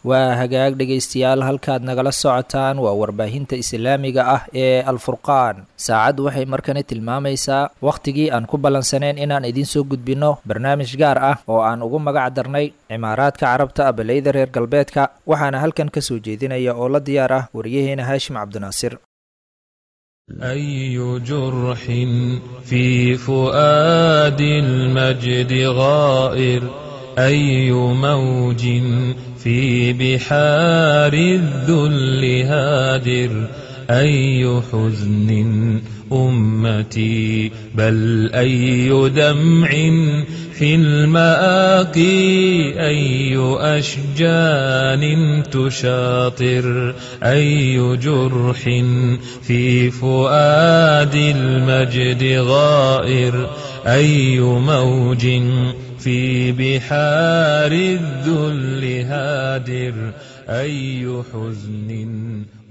Waa hagaag dhegaystayaal, halkaad nagala socotaan waa warbaahinta islaamiga ah ee Alfurqaan. Saacaddu waxay markani tilmaamaysaa wakhtigii aan ku ballansaneen inaan idiin soo gudbinno barnaamij gaar ah oo aan ugu magac darnay Cimaaraadka Carabta abaleyda reer galbeedka, waxaana halkan ka soo jeedinaya oo la diyaar ah wariyaheena Haashim Cabdinaasir. أي جرح في فؤاد المجد غائر، أي موج في بحار الذل هادر، أي حزن أمتي، بل أي دمع في المآقي، أي أشجان تشاطر، أي جرح في فؤاد المجد غائر، أي موج في بحار الذل هادر، أي حزن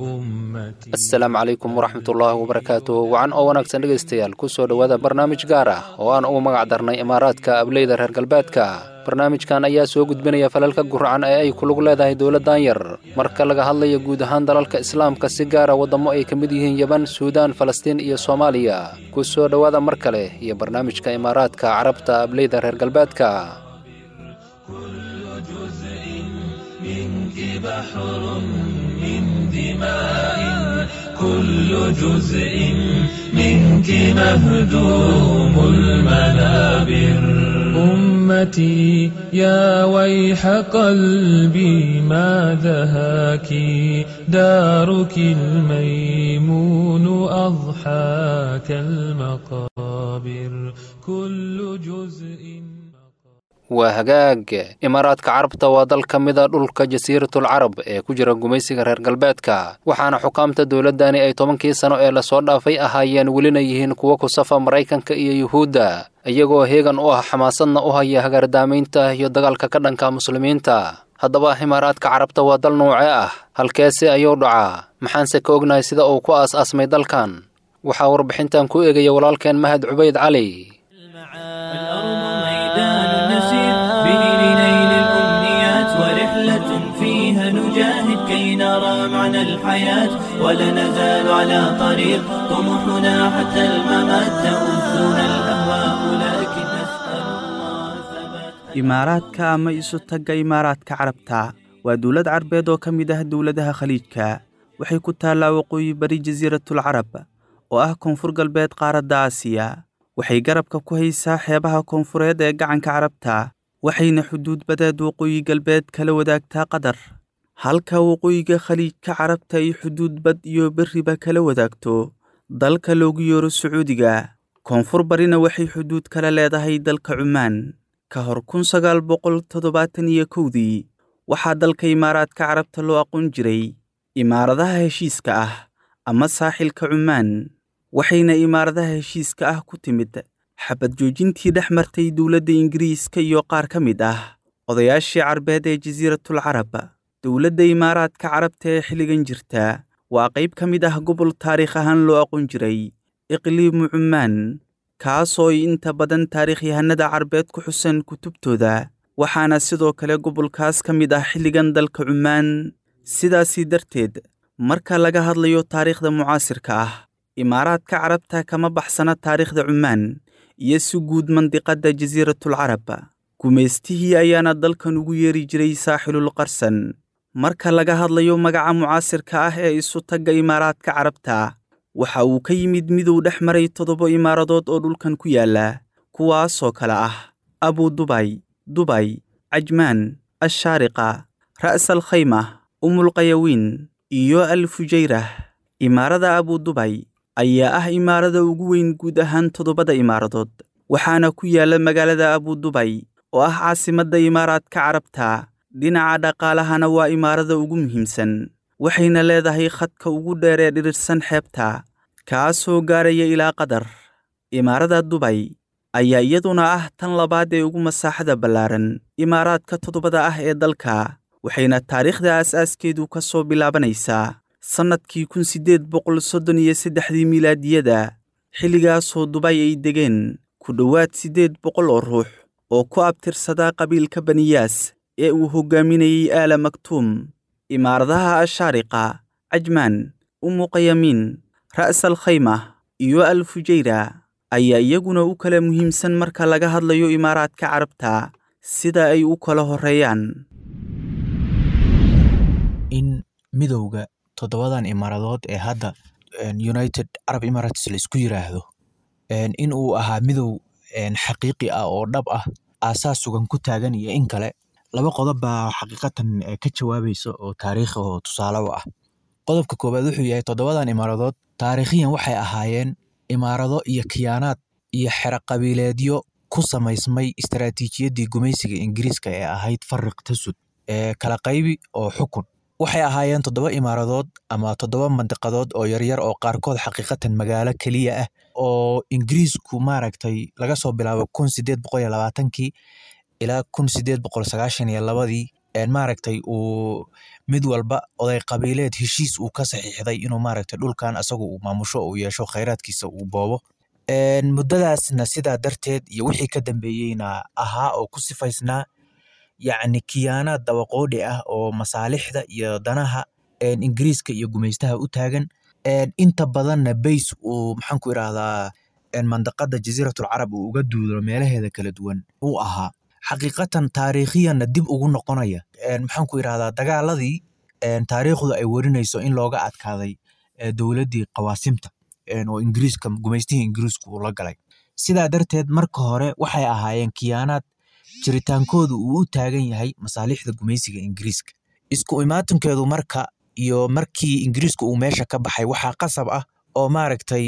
أمتي. Asalaamu calaykum waraxmatullaahi wabarakaatu. Wacan oo wanaagsan dhegaystayaal, ku soo dhowaada barnaamij gaar ah oo aan ugu magac darnay Imaaraadka ableyda reer galbeedka. Barnaamijkan ayaa soo gudbinaya falalka guracan ee ay ku lug leedahay dowladdan yar marka laga hadlayo guud ahaan dalalka islaamka, si gaara waddamo ay ka mid yihiin Yeban, Suudaan, Falastiin iyo Soomaaliya. Ku soo dhowaada mar kale iyo barnaamijka Imaaraadka Carabta ableyda reer galbeedka. كل جزء منك بحر من دماء، كل جزء منك مهدوم المنابر. أمتي يا ويح قلبي ما ذهاك، دارك الميمون أضحاك المقابر، كل جزء. Waa hagaag. Imaaraadka Carabta waa dal ka mida dhulka Jasiiratul Carab ee ku jira gumaysiga reer galbeedka, waxaana xukaamta dowladdani ay 10kii sano ee lasoo dhaafay ahaayeen welina yihiin kuwo ku safa Maraykanka iyo Yuhuudda, iyagoo heegan u ah xamaasadna u haya hagaardaamaynta iyo dagaalka ka dhanka muslimiinta. Haddaba Imaaraadka Carabta waa dal noocee ah? Halkeese ayuu dhacaa? Maxaanse ka ognahay sida uu ku aas-aasmay dalkan? Waxaa warbixintan ku eegaya walaalkeen Mahad Cubayd Cali. الأرض ميدان نسير به لنيل الأمنيات، ورحلة فيها نجاهد كي نرى معنى الحياة، ولا نزال على طريق طموحنا حتى الممات، تؤذنا الأهواء لكن نسأل الله الثبات. Imaaraadka ama isu tagga Imaaraadka Carabta waa dowlad carbeed oo ka mid ah dowladaha Khaliijka. Waxay ku taallaa waqooyi bari Jasiiratul Carab oo ah koonfur galbeed qaaradda Aasiya. Waxay garabka ku haysaa xeebaha koonfureed ee gacanka Carabta, waxayna xuduud badeed waqooyi galbeed kala wadaagtaa Qatar, halka waqooyiga Khaliijka Carabta ay xuduud bad iyo berriba kala wadaagto dalka loogu yeero Sacuudiga. Koonfur barina waxay xuduud kala leedahay dalka Cumaan. Ka hor 1971dii waxaa dalka Imaaraadka Carabta loo aqoon jiray Imaaradaha Heshiiska ah ama Saaxilka Cumaan, waxayna Imaaradaha Heshiiska ah ku timid xabad joojintii dhex martay dowladda Ingiriiska iyo qaar ka mid ah odayaashii carbeed ee Jasiiratul Carab. Dowladda Imaaraadka Carabta ee xilligan jirta waa qayb ka mid ah gobol taariikh ahaan loo aqoon jiray Iqliimu Cumaan, kaasoo ay inta badan taariikhyahanada carbeed ku xuseen kutubtooda, waxaana sidoo kale gobolkaas ka mid ah xilligan dalka Cumaan. Sidaasi darteed, marka laga hadlayo taariikhda mucaasirka ah, Imaaraadka Carabta kama baxsana taariikhda Cumaan iyo si guud mandiqadda Jasiiratul Carab. Gumaystihii ayaana dalkan ugu yeeri jiray Saaxilul Qarsan. Marka laga hadlayo magaca mucaasirka ah ee isu tagga Imaaraadka Carabta, waxa uu ka yimid midow dhex maray 7 imaaradood oo dhulkan ku yaala, kuwaasoo kale ah Abu Dubay, Dubay, Cajmaan, Ashaariqa, Ra'as al Khayma, Umulqayawiin iyo Al Fujayrah. Imaarada Abu Dubay ayaa ah imaarada ugu weyn guud ahaan 7da imaaradood, waxaana ku yaala magaalada Abu Dubay oo ah caasimadda Imaaraadka Carabta. Dhinaca dhaqaalahana waa imaarada ugu muhiimsan, waxayna leedahay khadka ugu dheer ee dhirirsan xeebta, kaasoo gaaraya ilaa Qatar. Imaarada Dubay ayaa iyaduna ah tan labaad ee ugu masaaxada ballaaran imaaraadka 7da ah ee dalka, waxayna taariikhda aas-aaskeedu ka soo bilaabanaysaa sannadkii 1833dii miilaadiyada, xilligaasoo Dubay ay degeen ku dhowaad 800 oo ruux oo ku abtirsadaa qabiilka Baniyaas ee uu hogaaminayey Aala Maktuum. Imaaradaha Ashaariqa, Cajmaan, Umuqayamiin, Ra'as al Khaymah iyo Al Fujayra ayaa iyaguna u kala muhiimsan marka laga hadlayo Imaaraadka Carabta sida ay u kala horeeyaan. In midowga toddobadan imaaradood ee hadda United Arab Emirates la isku yiraahdo in uu ahaa midow xaqiiqi ah oo dhab ah, aasaas sugan ku taagan iyo in kale, laba qodob baa xaqiiqatan ka jawaabaysa oo taariikh oo tusaale u ah. Qodobka koowaad wuxuu yahay toddobadan imaaradood taariikhiyan waxay ahaayeen imaarado iyo khiyaanaad iyo xero qabiileedyo ku samaysmay istaraatiijiyaddii gumaysiga Ingiriiska ee ahayd fariq tasud ee kala qaybi oo xukun. Waxay ahaayeen toddoba imaaradood ama toddoba mandiqadood oo yaryar oo qaarkood xaqiiqatan magaalo keliya ah oo Ingiriisku maaragtay laga soo bilaabo 1820kii ilaa 1892dii maaragtay uu mid walba oday qabiileed heshiis uu ka saxiixday inuu maaragtay dhulkan asagu uu maamusho, uu yeesho khayraadkiisa, uu boobo. Muddadaasna sidaa darteed iyo wixii ka dambeeyeyna ahaa oo ku sifaysnaa yacni kiyaanaad dabaqoodhi ah oo masaalixda iyo danaha Ingiriiska iyo gumaystaha u taagan. Inta badanna bays uu maxaan ku idhaahdaa mandaqada Jasiiratul Carab uu uga duulo meelaheeda kala duwan uu ahaa. Xaqiiqatan taariikhiyanna dib ugu noqonaya maxaan ku idhaahdaa dagaaladii taariikhdu ay warinayso in looga adkaaday dowladdii qawaasimta oo Ingiriiska gumaystihii Ingiriisku uu la galay. Sidaa darteed marka hore waxay ahaayeen kiyaanaad jiritaankoodu uu u taagan yahay masaalixda gumaysiga Ingiriiska. Isku imaatinkeedu marka iyo markii Ingiriisku uu meesha ka baxay waxaa qasab ah oo maaragtay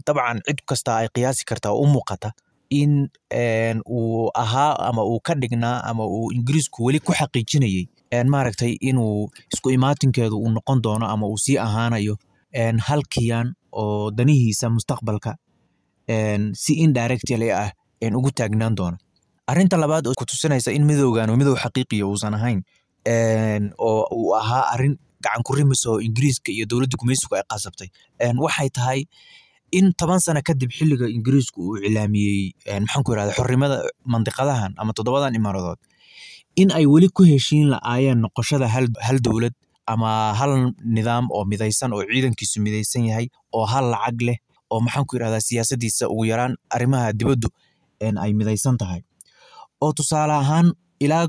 dabcan cid kasta ay qiyaasi kartaa oo u muuqata in uu ahaa ama uu ka dhignaa ama uu Ingiriisku weli ku xaqiijinayay maaragtay inuu isku imaatinkeedu uu noqon doono ama uu sii ahaanayo hal kiyaan oo danihiisa mustaqbalka si indirectly ah ugu taagnaan doono. Arrinta labaad oo ku tusinaysa in midowgan uu midow xaqiiqiya uusan ahayn oo uu ahaa arrin gacan ku rimis oo Ingiriiska iyo dowladda gumaysigu ay qasabtay waxay tahay in 10 sano kadib xilliga Ingiriisku uu iclaamiyey maxaan ku irahdaa xornimada mandiqadahan ama toddobadan imaaradood in ay weli ku heshiin la'aayeen noqoshada hal dowlad ama hal nidaam oo midaysan oo ciidankiisu midaysan yahay oo hal lacag leh oo maxaan ku irahdaa siyaasadiisa ugu yaraan arrimaha dibaddu ay midaysan tahay. Oo tusaale ahaan ilaa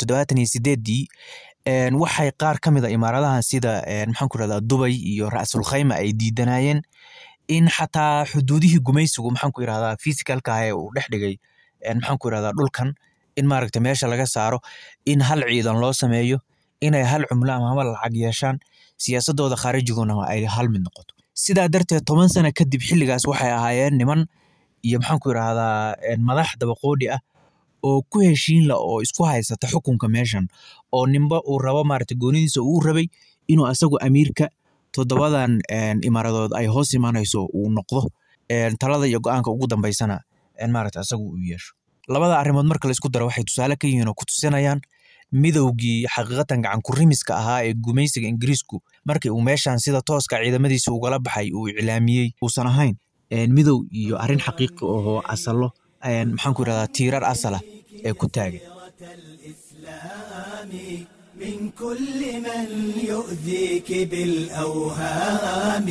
1978dii waxay qaar ka mid a imaaradahan sida maxaan ku irahdaa Dubay iyo Ra'sul Khayma ay diidanayeen in xataa xuduudihii gumaysigu maxaan ku irahdaa physicalka ah ee uu dhex dhigay maxaan ku irahdaa dhulkan in maaragtay meesha laga saaro, in hal ciidan loo sameeyo, inay hal cumlo ama hal lacag yeeshaan, siyaasadooda khaarijiguna ay hal mid noqoto. Sidaa darteed 10 sano kadib xilligaas waxay ahaayeen niman iyo maxaan ku irahdaa madax dabaqoodhi ah oo ku heshiin la oo isku haysata xukunka meeshan oo ninba uu rabo maaragtay goonidiisa uu rabay inuu asagu amiirka toddobadan imaaradood ay hoos imaanayso uu noqdo, talada iyo go'aanka ugu dambeysana maaragtay asagu uu yeesho. Labada arrimood marka la isku daro waxay tusaale ka yihiin oo ku tusinayaan midowgii xaqiiqatan gacan ku rimiska ahaa ee gumaysiga Ingiriisku markii uu meeshan sida tooska ciidamadiisa ugala baxay uu iclaamiyey uusan ahayn midow iyo arrin xaqiiqi oo asalo maxaan ku irahdaa tiirar asala ee ku taagan. من كل من يؤذيك بالأوهام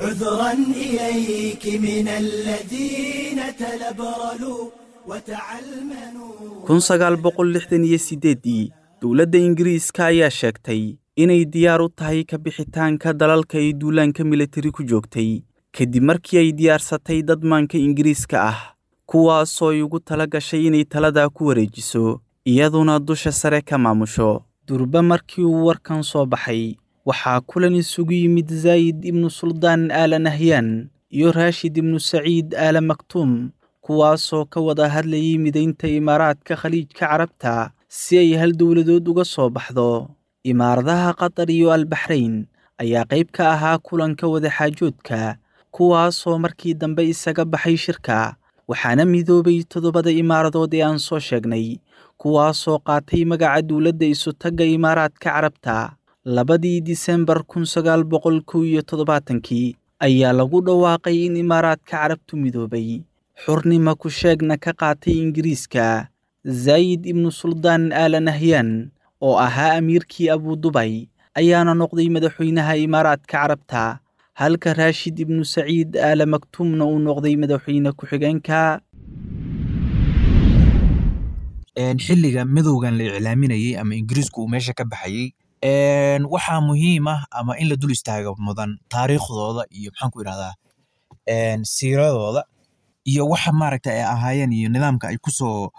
عذرا إليك من الذين تلبرلوا وتعلمنوا. 1968dii dowladda Ingiriiska ayaa sheegtay inay diyaar u tahay ka bixitaanka dalalka ay duulaanka militari ku joogtay kadib markii ay diyaarsatay dadmaanka Ingiriiska ah kuwaasoo ay ugu tala gashay inay taladaa ku wareejiso iyaduna dusha sare ka maamusho. Durba markii uu warkan soo baxay waxaa kulan isugu yimid Zaayid ibnu Suldaan Aala Nahyan iyo Raashid ibnu Saciid Aala Maktuum, kuwaasoo ka wada hadlayay midaynta imaaraadka Khaliijka Carabta si ay hal dowladood uga soo baxdo. Imaaradaha Qatar iyo Albaxrayn ayaa qayb ka ahaa kulanka wadaxaajoodka, kuwaasoo markii dambe isaga baxay shirka, waxaana midoobay toddobada imaaradood ee aan soo sheegnay, kuwaasoo qaatay magaca dowladda isutagga Imaaraadka Carabta. 2dii Disembar 1971kii ayaa lagu dhawaaqay in Imaaraadka Carabtu midoobay, xurnima ku sheegna ka qaatay Ingiriiska. Zaayid ibnu Suldaan Aala Nahyan oo ahaa amiirkii Abudubay ayaana noqday madaxweynaha Imaaraadka Carabta, halka Raashid ibnu Saciid Aala Maktuumna uu noqday madaxweyne ku-xigeenka. Xilliga midowgan la iclaaminayay ama Ingiriisku uu meesha ka baxayay, waxaa muhiim ah ama in la dul istaago mudan taariikhdooda iyo maxaan ku idhahdaa siiradooda iyo waxa maaragta ay ahaayeen iyo nidaamka ay kusoo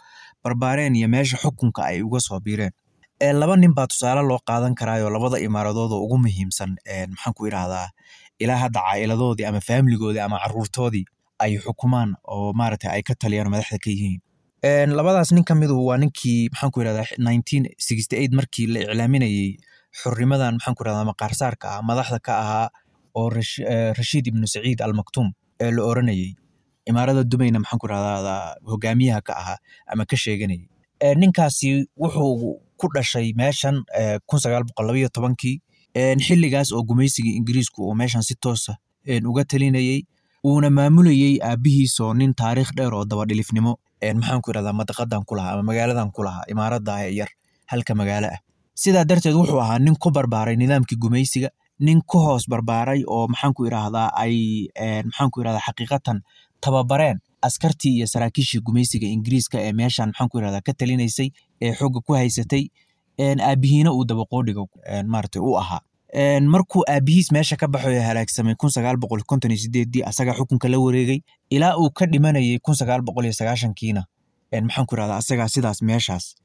barbaareen iyo meesha xukunka ay uga soo biireen. Laba nin baa tusaale loo qaadan karaayo labada imaaradood oo ugu muhiimsan, maxaan ku idhahdaa, ilaa hadda caa'iladoodii ama faamiligoodii ama caruurtoodii ay xukumaan oo maaragta ay ka taliyaan oo madaxda ka yihiin. Labadaas nin ka midu waa ninkii maxaan ku idhahdaa 1968 markii la iclaaminayay xurnimadan maxaan ku idhahdaa maqaarsaarka ah madaxda ka ahaa oo Rashiid ibnu Saciid Al Maktuum ee la oranayay, imaarada Dubayna maxaan ku idhahdaa hogaamiyaha ka ahaa ama ka sheeganayay. Ninkaasi wuxuu ku dhashay meeshan 1912kii, xilligaas oo gumaysigii Ingiriisku uu meeshan si toosa uga talinayay uuna maamulayay aabihiisoo nin taariikh dheer oo dabadhilifnimo maxaan ku idhahdaa madaqadan ku lahaa ama magaaladan ku lahaa imaarada yar halka magaalo ah. Sidaa darteed wuxuu ahaa nin ku barbaaray nidaamkii gumaysiga, nin ku hoos barbaaray oo maxaan ku idhahdaa ay maxaan ku idhahdaa xaqiiqatan tababareen askartii iyo saraakiishii gumaysiga Ingiriiska ee meeshan maxaan ku idhahdaa ka talinaysay ee xoogga ku haysatay, aabihiina uu dabaqoodhiga maaragtay u ahaa. Markuu aabihiis meesha ka baxay oo halaagsamay 1958dii, asagaa xukunka la wareegay ilaa uu ka dhimanayay 1990kiina, maxaan ku idhahdaa asagaa sidaas meeshaas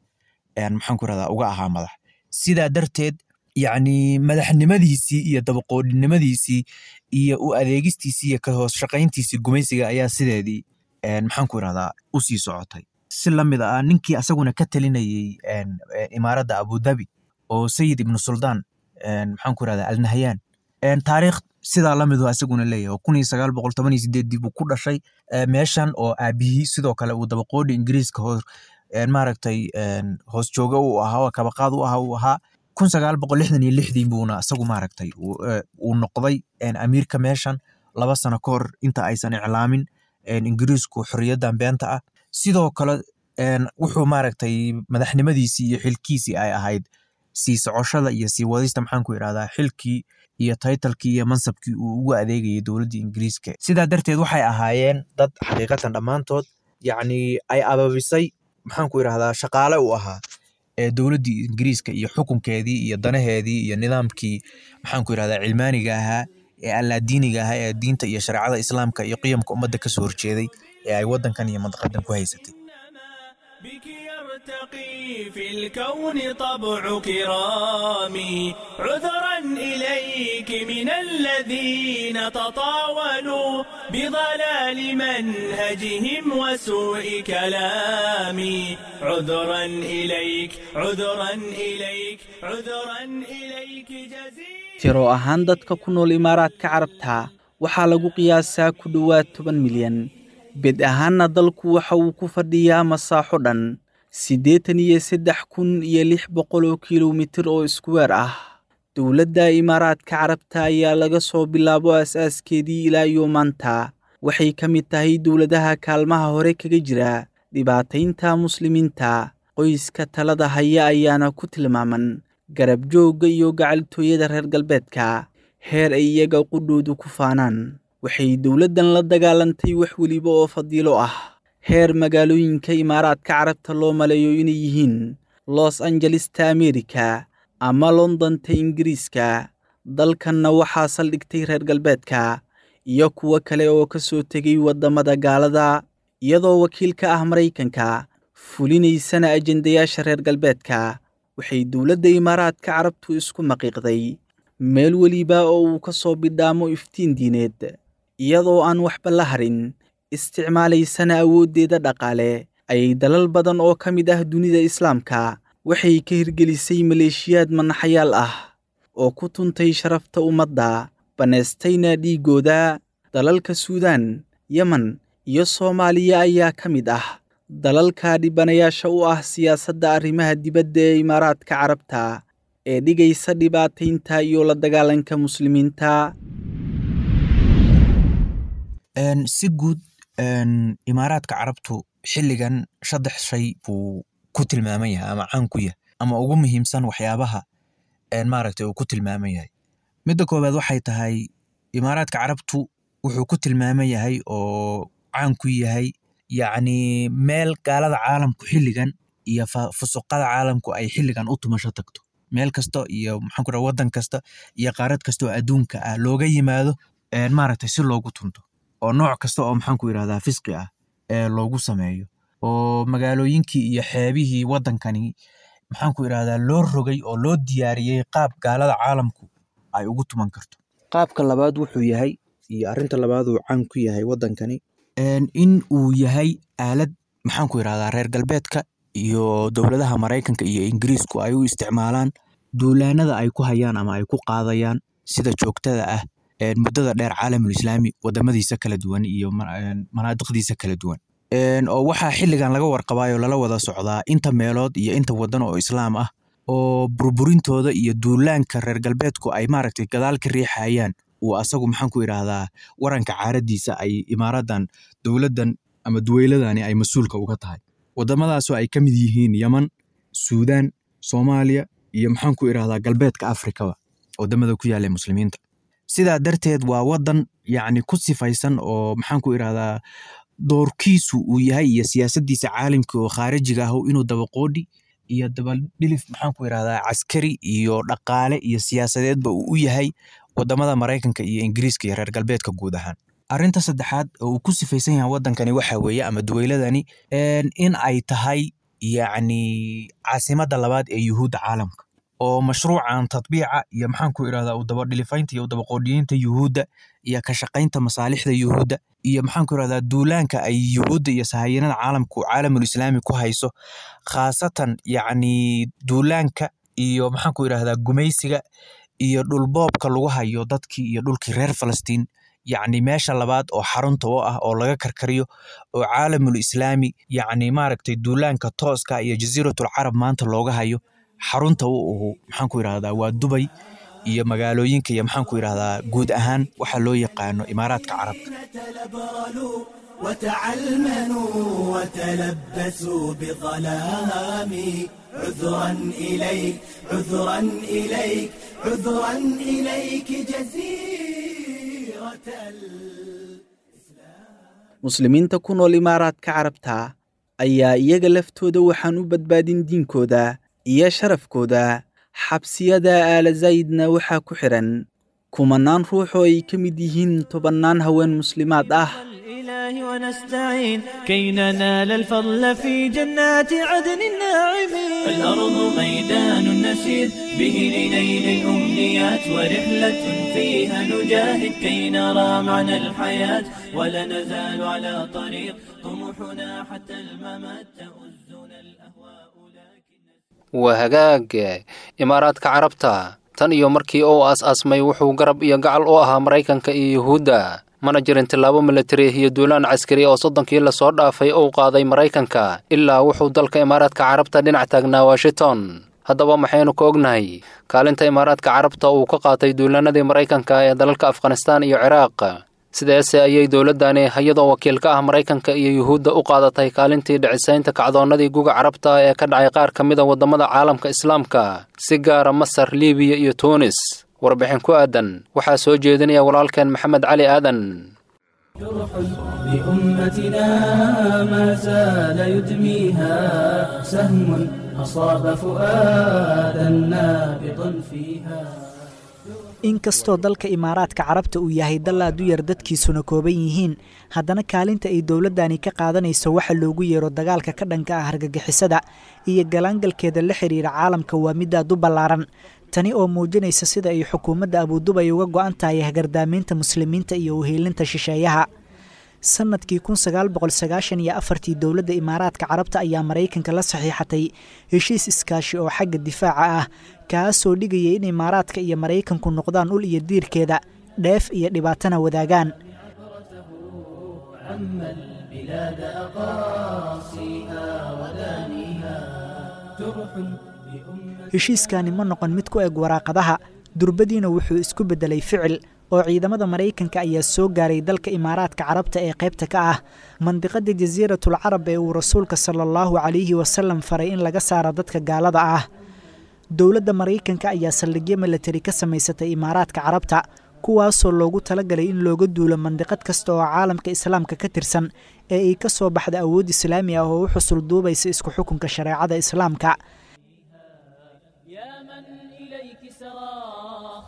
maxaan ku idhahdaa uga ahaa madax. Sidaa darteed yacni madaxnimadiisii iyo dabaqoodhinimadiisii iyo u adeegistiisii iyo ka hoos shaqayntiisii gumaysiga ayaa sideedii maxaan ku idhahdaa u sii socotay. Si la mid ah ninkii asaguna ka talinayay imaaradda Abu Dhabi oo Sayid ibnu Suldaan maxaan ku idhahdaa Al Nahyan, taariikh sidaa la midu asaguna leeyahay oo 1918dii buu ku dhashay meeshan oo aabihii sidoo kale uu dabaqoodhi Ingiriiska hoos maaragtay hoos jooga uu ahaa oo kabaqaad u ahaa uu ahaa. 1966dii buuna isagu maaragtay uu noqday amiirka meeshan 2 sano ka hor inta aysan iclaamin Ingiriisku xorriyaddan beenta ah. Sidoo kale wuxuu maaragtay madaxnimadiisii iyo xilkiisii ay ahayd sii socoshada iyo sii wadista maxaan ku idhahdaa xilkii iyo taytalkii iyo mansabkii uu ugu adeegayay dowladdii Ingiriiska. Sidaa darteed waxay ahaayeen dad xaqiiqatan dhammaantood yacni ay ababisay maxaan ku idhahdaa shaqaale u ahaa ee dowladdii Ingiriiska iyo xukunkeedii iyo danaheedii iyo nidaamkii maxaan ku idhahdaa cilmaaniga ahaa ee allaadiiniga ahaa ee diinta iyo shareecada Islaamka iyo qiyamka ummadda ka soo horjeeday ee ay waddankan iyo mandaqadan ku haysatay. بك يرتقي في الكون طبع كرامي، عذرا إليك من الذين تطاولوا بضلال منهجهم وسوء كلامي، عذرا إليك عذرا إليك عذرا إليك جزيلا. Tiro ahaan dadka ku nool Imaaraadka Carabta waxaa lagu qiyaasaa ku dhowaad 10 milyan. Bed ahaanna dalku waxa uu ku fadhiyaa masaaxo dhan 83,600 kiiloomitir oo iskuweer ah. Dowladda Imaaraadka Carabta ayaa laga soo bilaabo aas-aaskeedii ilaa iyo maanta waxay ka mid tahay dowladaha kaalmaha hore kaga jira dhibaataynta muslimiinta. Qoyska talada haya ayaana ku tilmaaman garab joogga iyo gacaltooyada reer galbeedka, heer ay iyaga qudhoodu ku faanaan. Waxay dowladdan la dagaalantay wax weliba oo fadiilo ah, heer magaalooyinka Imaaraadka Carabta loo maleeyo inay yihiin Los Angelesta Ameerika ama Londonta Ingiriiska. Dalkanna waxaa saldhigtay reer galbeedka iyo kuwo kale oo ka soo tegay waddamada gaalada, iyadoo wakiil ka ah Maraykanka fulinaysana ajendayaasha reer galbeedka. Waxay dowladda Imaaraadka Carabtu isku maqiiqday meel weliba oo uu ka soo bidhaamo iftiin diineed, iyadoo aan waxba la harin, isticmaalaysana awooddeeda dhaqaale. Ayay dalal badan oo ka mid ah dunida Islaamka waxay ka hirgelisay maleeshiyaad manaxayaal ah oo ku tuntay sharafta ummadda, bannaystayna dhiiggooda. Dalalka Suudaan, Yemen iyo Soomaaliya ayaa ka mid ah dalalka dhibanayaasha u ah siyaasadda arrimaha dibadda ee Imaaraadka Carabta ee dhigaysa dhibaataynta iyo la dagaalanka muslimiinta. Si guud Imaaraadka Carabtu xilligan 3 shay buu ku tilmaaman yahay ama caan ku yahay ama ugu muhiimsan waxyaabaha maaragtay uu ku tilmaaman yahay. Midda koowaad waxay tahay Imaaraadka Carabtu wuxuu ku tilmaaman yahay oo caan ku yahay yacni meel gaalada caalamku xilligan iyo fusuqada caalamku ay xilligan u tumasho tagto. Meel kasta iyo maxaan ku dhaha waddan kasta iyo qaarad kasta oo adduunka ah looga yimaado maaragtay si loogu tunto oo nooc kasta oo maxaan ku yidhahdaa fisqi ah ee loogu sameeyo oo magaalooyinkii iyo xeebihii waddankani maxaan ku idhahdaa loo rogay oo loo diyaariyey qaab gaalada caalamku ay ugu tuman karto. Qaabka labaad wuxuu yahay iyo arrinta labaad uu caan ku yahay waddankani in uu yahay aalad maxaan ku idhahdaa reer galbeedka iyo dowladaha Maraykanka iyo Ingiriisku ay u isticmaalaan duulaanada ay ku hayaan ama ay ku qaadayaan sida joogtada ah muddada dheer caalamul islaami wadamadiisa kala duwan iyo manaadiqdiisa kala duwan. Oo waxaa xilligan laga warqabayo lala wada socdaa inta meelood iyo inta wadan oo islaam ah oo burburintooda iyo duulaanka reer galbeedku ay maaragtay gadaal ka riixayaan uu asagu maxaan ku idhaahdaa waranka caaradiisa ay imaaradan dowladdan ama duweyladani ay mas-uulka uga tahay. Wadamadaasoo ay ka mid yihiin Yaman, Suudaan, Soomaaliya iyo maxaan ku idhaahdaa galbeedka Afrikaba wadamada ku yaala muslimiinta. Sidaa darteed waa wadan yacni ku sifaysan oo maxaan ku idhaahdaa doorkiisu uu yahay iyo siyaasaddiisa caalamka oo khaarijiga ah inuu dabaqoodhi iyo dabadhilif maxaan ku idhahdaa caskari iyo dhaqaale iyo siyaasadeedba uu u yahay wadamada Maraykanka iyo Ingiriiska iyo reer galbeedka guud ahaan. Arrinta saddexaad oo uu ku sifaysan yahay waddankani waxa weeye ama duweyladani in ay tahay yacni caasimadda labaad ee yuhuudda caalamka oo mashruucan tatbiica iyo maxaan ku idhahdaa u dabadhilifaynta iyo u dabaqoodhiyeynta yuhuudda iyo ka shaqaynta masaalixda yuhuudda iyo maxaan ku idhahdaa duulaanka ay yuhuudda iyo sahayanada caalamku caalamul islaami ku hayso khaasatan yacni duulaanka iyo maxaan ku idhahdaa gumaysiga iyo dhulboobka lagu hayo dadkii iyo dhulkii reer Falastiin yacni meesha labaad oo xarunta u ah oo laga karkariyo oo caalamul islaami yacni maaragtay duulaanka tooska iyo jasiiratul carab maanta looga hayo xarunta u uhu maxaan ku idhahdaa waa Dubay iyo magaalooyinka iyo maxaan ku idhahdaa guud ahaan waxa loo yaqaano Imaaraadka Carabta. وتعلمنوا وتلبسوا بظلام عذرا إليك عذرا إليك عذرا إليك جزيرة. Muslimiinta ku nool Imaaraadka Carabta ayaa iyaga laftooda waxaan u badbaadin diinkooda iyo sharafkooda. Xabsiyada Aala Zaydna waxaa ku xiran kumanaan ruux oo ay ka mid yihiin tobannaan haween muslimaad ah. الإله ونستعين كي ننال الفضل في جنات عدن الناعمين. الأرض ميدان نسير به لنيل الأمنيات ورحلة فيها نجاهد كي نرى معنى الحياة ولا نزال على طريق طموحنا حتى الممات تؤزنا الأهواء لكن Waa hagaag. Imaaraadka Carabta tan iyo markii uu aas-aasmay wuxuu garab iyo gacal u ahaa Maraykanka iyo Yuhuudda. Mana jirin tillaabo militari iyo duulaan caskari oo 30kii lasoo dhaafay uu qaaday Maraykanka ilaa wuxuu dalka Imaaraadka Carabta dhinac taagnaa Washington. Haddaba maxaynu ka ognahay kaalinta Imaaraadka Carabta uu ka qaatay duulaanadii Maraykanka ee dalalka Afghanistaan iyo Ciraaq? Sideese ayay dowladdani iyadoo wakiil ka ah Maraykanka iyo Yuhuudda u qaadatay kaalintii dhicisaynta kacdoonnadii guga Carabta ee ka dhacay qaar ka mid a waddamada caalamka islaamka, si gaara Masar, Liibiya iyo Tuunis? Warbixin ku aadan waxaa soo jeedinaya walaalkeen Maxamed Cali Aadan. جرح لأمتنا ما زال يدميها سهم أصاب فؤادا نابضا فيها. Inkastoo dalka Imaaraadka Carabta uu yahay dal aad u yar, dadkiisuna kooban yihiin, haddana kaalinta ay dowladdani ka qaadanayso waxa loogu yeero dagaalka ka dhanka ah argagixisada iyo galaangalkeeda la xiriira caalamka waa mid aad u ballaaran. Tani oo muujinaysa sida ay xukuumadda Abudubay uga go'an tahay hagardaamiinta muslimiinta iyo uheelinta shisheeyaha. Sanadkii 1994-tii dowladda Imaaraadka Carabta ayaa Maraykanka la saxiixatay heshiis iskaashi oo xagga difaaca ah, kaasoo dhigayay in Imaaraadka iyo Maraykanku noqdaan ul iyo diirkeeda, dheef iyo dhibaatana wadaagaan. عم البلاد أقاصيها ودانيها جرح لأمة Heshiiskani ma noqon mid ku eg waraaqadaha, durbadiina wuxuu isku beddelay ficil. oo ciidamada Maraykanka ayaa soo gaaray dalka Imaaraadka Carabta ee qaybta ka ah mandiqada Jasiiratul Carab ee uu rasuulka sala allahu calayhi wasalam faray in laga saaro dadka gaalada ah. Dowladda Maraykanka ayaa saldhigyo milatari ka samaysatay Imaaraadka Carabta, kuwaasoo loogu talagalay in looga duulo mandiqad kasta oo caalamka islaamka ka tirsan ee ay ka soo baxda awood islaami ah oo u xusul duubaysa isku xukunka shareecada islaamka. يا من إليك سرى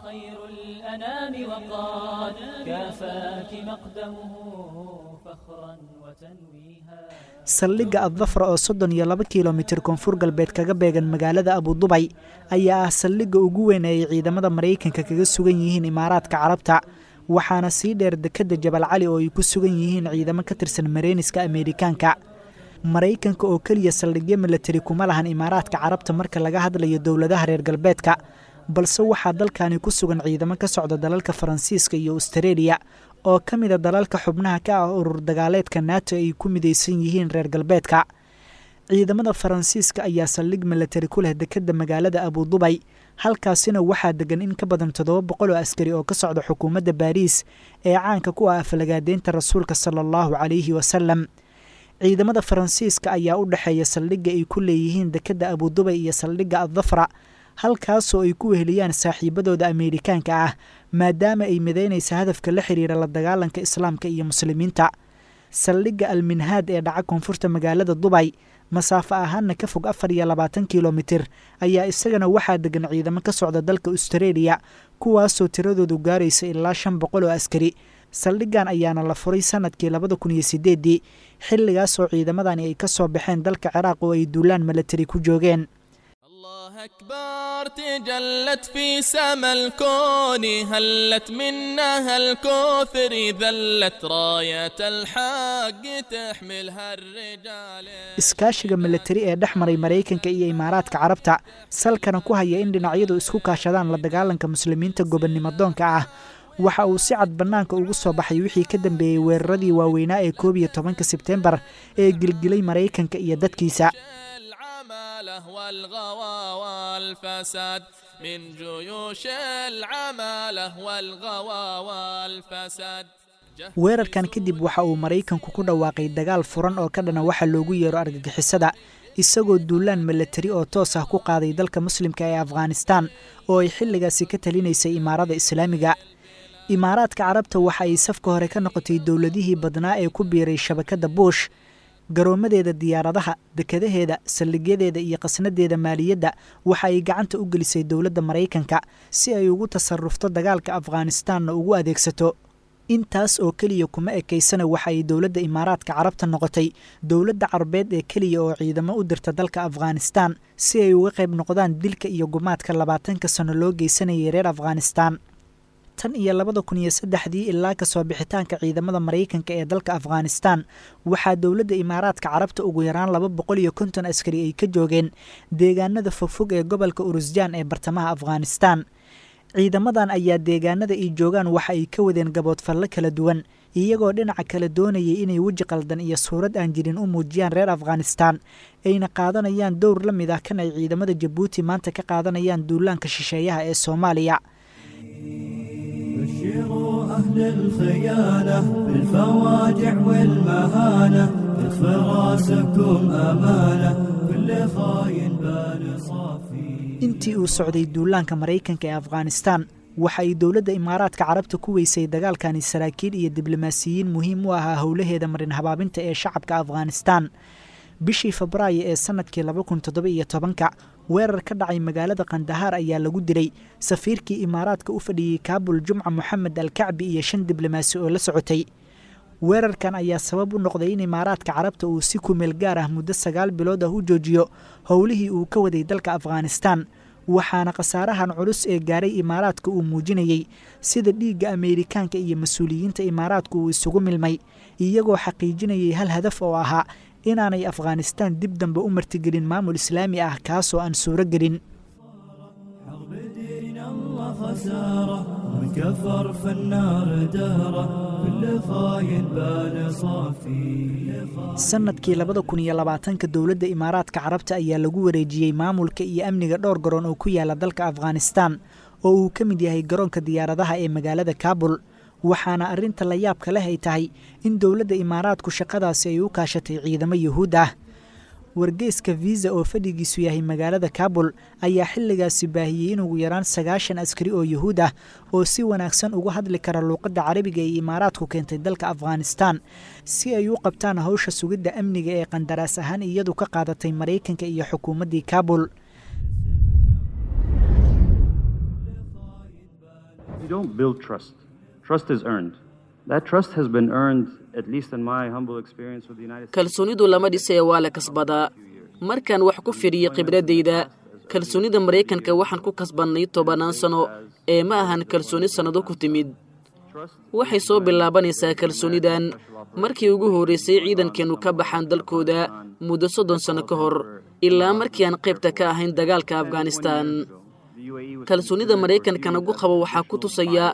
خير الأنام وقد كافاك مقدمه فخرا وتنويها. Saldhigga Addafra oo 32 kilomitir koonfur galbeed kaga beegan magaalada Abudubay ayaa ah saldhigga ugu weyn ee ay ciidamada Maraykanka kaga sugan yihiin Imaaraadka Carabta, waxaana sii dheer dekedda Jabal Cali oo ay ku sugan yihiin ciidamo ka tirsan Mareyniska Ameerikaanka. Maraykanka oo keliya saldhigyo milatari kuma lahan Imaaraadka Carabta marka laga hadlayo dowladaha reer galbeedka, balse waxaa dalkani ku sugan ciidamo ka socda dalalka Faransiiska iyo Austareeliya oo ka mida dalalka xubnaha ka ah urur dagaaleedka NATO ay ku midaysan yihiin reer galbeedka. Ciidamada Faransiiska ayaa saldhig milatari ku leh dekedda magaalada Abudubay, halkaasina waxaa degan in ka badan 700 oo askari oo ka socda xukuumadda Baariis ee caanka ku ah aflagaadeynta rasuulka sala allahu calayhi wasalam. Ciidamada Faransiiska ayaa u dhexeeya saldhigga ay ku leeyihiin dekedda Abudubay iyo saldhigga Addafra, halkaasoo ay ku weheliyaan saaxiibadooda Ameerikaanka ah, maadaama ay midaynaysa hadafka la xiriira la dagaalanka islaamka iyo muslimiinta. Saldhigga Alminhaad ee dhaca koonfurta magaalada Dubay, masaafo ahaanna ka fog 24 kilomitir, ayaa isagana waxaa degan ciidamo ka socda dalka Austareeliya, kuwaasoo tiradoodu gaaraysa ilaa 500 oo askari. Saldhiggan ayaana la furay sanadkii 2008-dii, xilligaasoo ciidamadani ay ka soo baxeen dalka Ciraaq oo ay duulaan milatari ku joogeen. الله أكبر تجلت في سما الكون، هلت منها الكفر ذلت راية الحق تحملها الرجال. Iskaashiga milatari ee dhex maray Maraykanka iyo Imaaraadka Carabta salkana ku haya in dhinacyadu isku kaashadaan la dagaalanka muslimiinta gobonnimo doonka ah waxa uu si cad bannaanka ugu soo baxay wixii ka dambeeyey weeraradii waaweynaa ee 11-ka Sebteembar ee gilgilay Maraykanka iyo dadkiisa. العمالة والغوى والفساد من جيوش العمالة والغوى والفساد. Weerarkan kadib waxa uu Maraykanku ku dhawaaqay dagaal furan oo ka dhana waxa loogu yeero argagixisada, isagoo duulaan milatari oo toos ah ku qaaday dalka muslimka ee Afghanistan oo ay xilligaasi ka talinaysay Imaarada Islaamiga. Imaaraadka Carabta waxa ay safka hore ka noqotay dowladihii badnaa ee ku biiray shabakadda Bush. Garoomadeeda diyaaradaha, dekadaheeda, saldhigyadeeda iyo qasnadeeda maaliyadda waxa ay gacanta u gelisay dowladda Maraykanka si ay ugu tasarufto dagaalka Afghanistanna ugu adeegsato. Intaas oo keliya kuma ekaysana, waxa ay dowladda Imaaraadka Carabta noqotay dowladda carbeed ee keliya oo ciidamo u dirta dalka Afghanistan si ay uga qayb noqdaan dilka iyo gumaadka 20-ka sano loo geysanayay reer Afghanistan. Tan iyo 2003-dii ilaa kasoo bixitaanka ciidamada Maraykanka ee dalka Afghanistan, waxaa dowladda Imaaraadka Carabta ugu yaraan 250 askari ay ka joogeen deegaanada fogfog ee gobolka Urusjaan ee bartamaha Afghanistan. Ciidamadan ayaa deegaanada ay joogaan waxa ay ka wadeen gaboodfallo kala duwan, iyagoo dhinaca kale doonayay inay weji qaldan iyo suurad aan jirin u muujiyaan reer Afghanistan, ayna qaadanayaan dowr la mid ah kan ay ciidamada Jabuuti maanta ka qaadanayaan duulaanka shisheeyaha ee Soomaaliya. بشروا أهل الخيانة بالفواجع والمهانة، تطفى راسكم أمانة كل خاين بال صافي. Intii uu socday duulaanka Maraykanka ee Afghanistan, waxa ay dowladda Imaaraadka Carabta ku weysay dagaalkani saraakiil iyo diblomaasiyiin muhiim u ahaa howlaheeda marin habaabinta ee shacabka Afghanistan. Bishii Febraayo ee sanadkii 2017-ka, weerar ka dhacay magaalada Kandahaar ayaa lagu dilay safiirkii Imaaraadka u fadhiyey Kaabul, Jumca Moxamed Alkacbi, iyo 5 diblomaasi oo la socotay. Weerarkan ayaa sabab u noqday in Imaaraadka Carabta uu si kumeel gaar ah muddo 9 bilood ah u joojiyo howlihii uu ka waday dalka Afghanistan, waxaana khasaarahan culus ee gaaray Imaaraadka uu muujinayey sida dhiigga Ameerikaanka iyo mas-uuliyiinta Imaaraadku uu isugu milmay, iyagoo xaqiijinayay hal hadaf oo ahaa inaanay Afghanistan dib dambe u martigelin maamul islaami ah, kaasoo aan suuro gelin. حرب دين الله خسارة، من كفر في النار دهره، كل خاين بال صافي. Sanadkii 2020-ka dowladda Imaaraadka Carabta ayaa lagu wareejiyey maamulka iyo amniga dhowr garoon oo ku yaala dalka Afghanistan oo uu ka mid yahay garoonka diyaaradaha ee magaalada Kaabul. Waxaana arrinta la yaabka leh ay tahay in dowladda Imaaraadku shaqadaasi ay u kaashatay ciidamo Yuhuud ah. Wargeyska Visa oo fadhigiisu yahay magaalada Kaabul ayaa xilligaasi baahiyey in ugu yaraan 90 askari oo Yuhuud ah oo si wanaagsan uga hadli kara luuqadda Carabiga ee Imaaraadku keentay dalka Afghanistan si ay u qabtaan hawsha sugidda amniga ee qandaraas ahaan iyadu ka qaadatay Maraykanka iyo xukuumaddii Kaabul. You don't build trust. Trust is earned. That trust has been earned, at least in my humble experience with the United States. Kalsoonidu lama dhisee, waa la kasbadaa. Markaan wax ku fidhiyo khibradayda, kalsoonida Maraykanka waxaan ku kasbannay tobannaan sano ee ma ahan kalsooni sannado ku timid. Waxay soo bilaabanaysaa kalsoonidan markii ugu horraysay ciidankeennu ka baxaan dalkooda muddo 30 sano ka hor ilaa markii aan qaybta ka ahayn dagaalka Afghanistan. Kalsoonida Maraykanka nagu qabo waxaa ku tusaya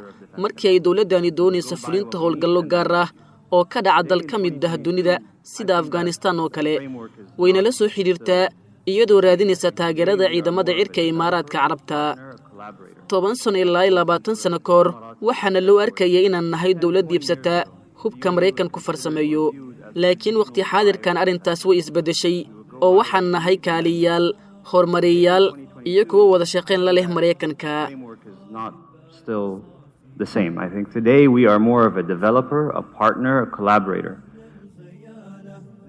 markii ay dowladdani doonaysa fulinta howlgallo gaar ah oo ka dhaca dal ka mid ah dunida sida Afghanistan oo kale, waynala soo xidhiirtaa iyadoo raadinaysa taageerada ciidamada cirka ee Imaaraadka Carabta. 10 sano ilaa 20 sano ka hor waxaana loo arkaya inaan nahay dowlad iibsata hubka Maraykanku farsameeyo, laakiin wakhti xaadirkan arrintaas way isbeddeshay oo waxaan nahay kaaliyayaal, horumariyayaal iyo kuwo wada shaqayn la leh Maraykanka. Not still the same. I think today we are more of a developer, a partner, a collaborator.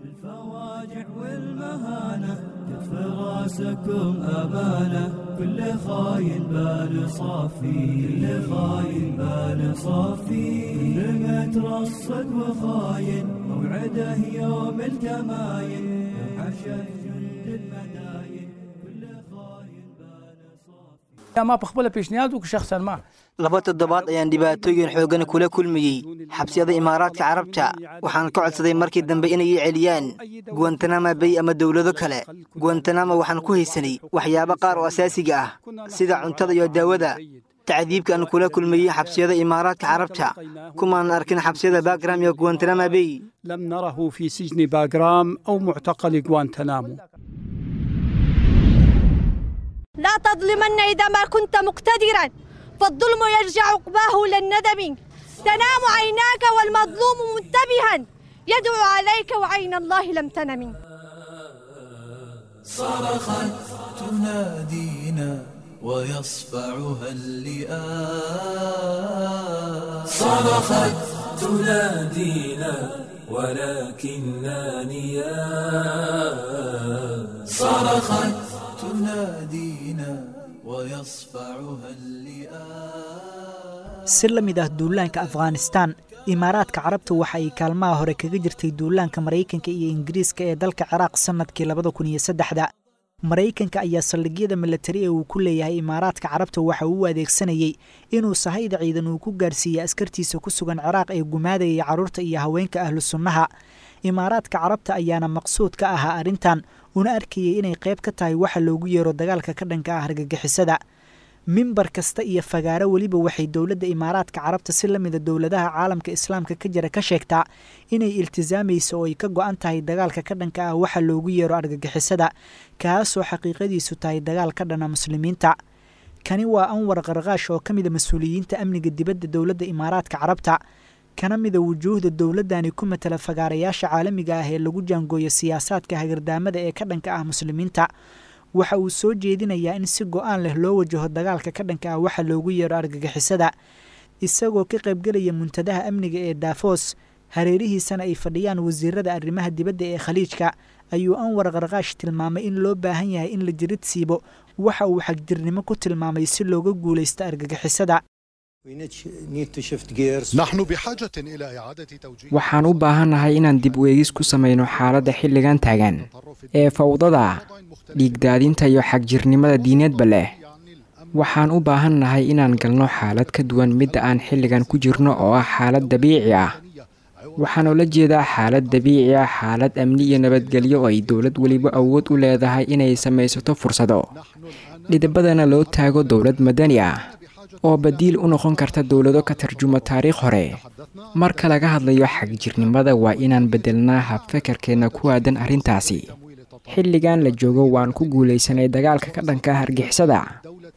الفواجع والمهانة كف راسكم أمانة، كل خاين بال صافي، كل خاين بال صافي، كل مترصد وخاين موعده يوم الكماين، حشا جند المداين، كل خاين بال صافي. ما بخبله پیشنهاد وك شخصا ما 2 toddobaad ayaan dhibaatooyin xooggan kula kulmayey xabsiyada Imaaraadka Carabta. Waxaan ka codsaday markii dambe inay ii celiyaan Guantanamo Bay ama dowlado kale. Guantanamo waxaan ku haysanay waxyaabo qaar oo asaasiga ah sida cuntada iyo daawada. Tacdiibka aan kula kulmayey xabsiyada Imaaraadka Carabta kumaan arkin xabsiyada Bagram iyo Guantanamo Bay. لم نره في سجن باغرام أو معتقل غوانتنامو. لا تظلمن إذا ما كنت مقتدرا، فالظلم يرجع عقباه للندم. تنام عيناك والمظلوم منتبها، يدعو عليك وعين الله لم تنم. صرخت تنادينا ويصفعها اللئام، صرخت تنادينا ولكننا نيام، صرخت تنادينا ويصفعها اللئام. Si la mid ah duulaanka Afghanistan, Imaaraadka Carabta waxa ay kaalmaha hore kaga jirtay duulaanka Maraykanka iyo Ingiriiska ee dalka Ciraaq sanadkii 2003. Maraykanka ayaa saldhigyada milatari ee uu ku leeyahay Imaaraadka Carabta waxa uu u adeegsanayey inuu sahayda ciidan uu ku gaarsiiyey askartiisa ku sugan Ciraaq ee gumaadayay carruurta iyo haweenka ahlu sunnaha. Imaaraadka Carabta ayaana maqsuud ka ahaa arrintan, una arkayay inay qayb ka tahay waxa loogu yeero dagaalka ka dhanka ah argagixisada. Mimbar kasta iyo fagaaro weliba waxay dowladda Imaaraadka Carabta si la mida dowladaha caalamka Islaamka ka jira ka sheegtaa inay iltisaamayso oo ay ka go'an tahay dagaalka ka dhanka ah waxa loogu yeero argagixisada, kaasoo xaqiiqadiisu tahay dagaal ka dhana muslimiinta. Kani waa Anwar Qarqaash oo ka mida mas-uuliyiinta amniga dibadda dowladda Imaaraadka Carabta, kana mida wujuuhda dowladdani ku matala fagaarayaasha caalamiga ah ee lagu jaangooyo siyaasaadka hagardaamada ee ka dhanka ah muslimiinta. Waxa uu soo jeedinayaa in si go'aan leh loo wajaho dagaalka ka dhanka ah waxa loogu yeero argagixisada, isagoo ka qaybgelaya muntadaha amniga ee Davos, hareerihiisana ay fadhiyaan wasiirada arrimaha dibadda ee Khaliijka. Ayuu Anwar Qarqaash tilmaamay in loo baahan yahay in la jirid siibo waxa uu xagjirnimo ku tilmaamay si looga guulaysto argagixisada. نحن بحاجة إلى إعادة توجيه Waxaan u baahannahay inaan dib u eegis ku samayno xaaladda xilligan taagan ee fawdada, dhiigdaadinta iyo xagjirnimada diineedba leh. Waxaan u baahannahay inaan galno xaalad ka duwan midda aan xilligan ku jirno oo ah xaalad dabiici ah. Waxaan ula jeedaa xaalad dabiici ah, xaalad amni iyo nabadgelyo oo ay dowlad weliba awood u leedahay inay samaysato fursado, dhidibadana loo taago dowlad madani ah oo badiil u noqon karta dowlado ka tarjuma taariikh hore. Marka laga hadlayo xagjirnimada, waa inaan beddelnaa habfekerkeenna ku aadan arrintaasi. Xilligan la joogo waan ku guulaysanay dagaalka ka dhanka ah argixisada.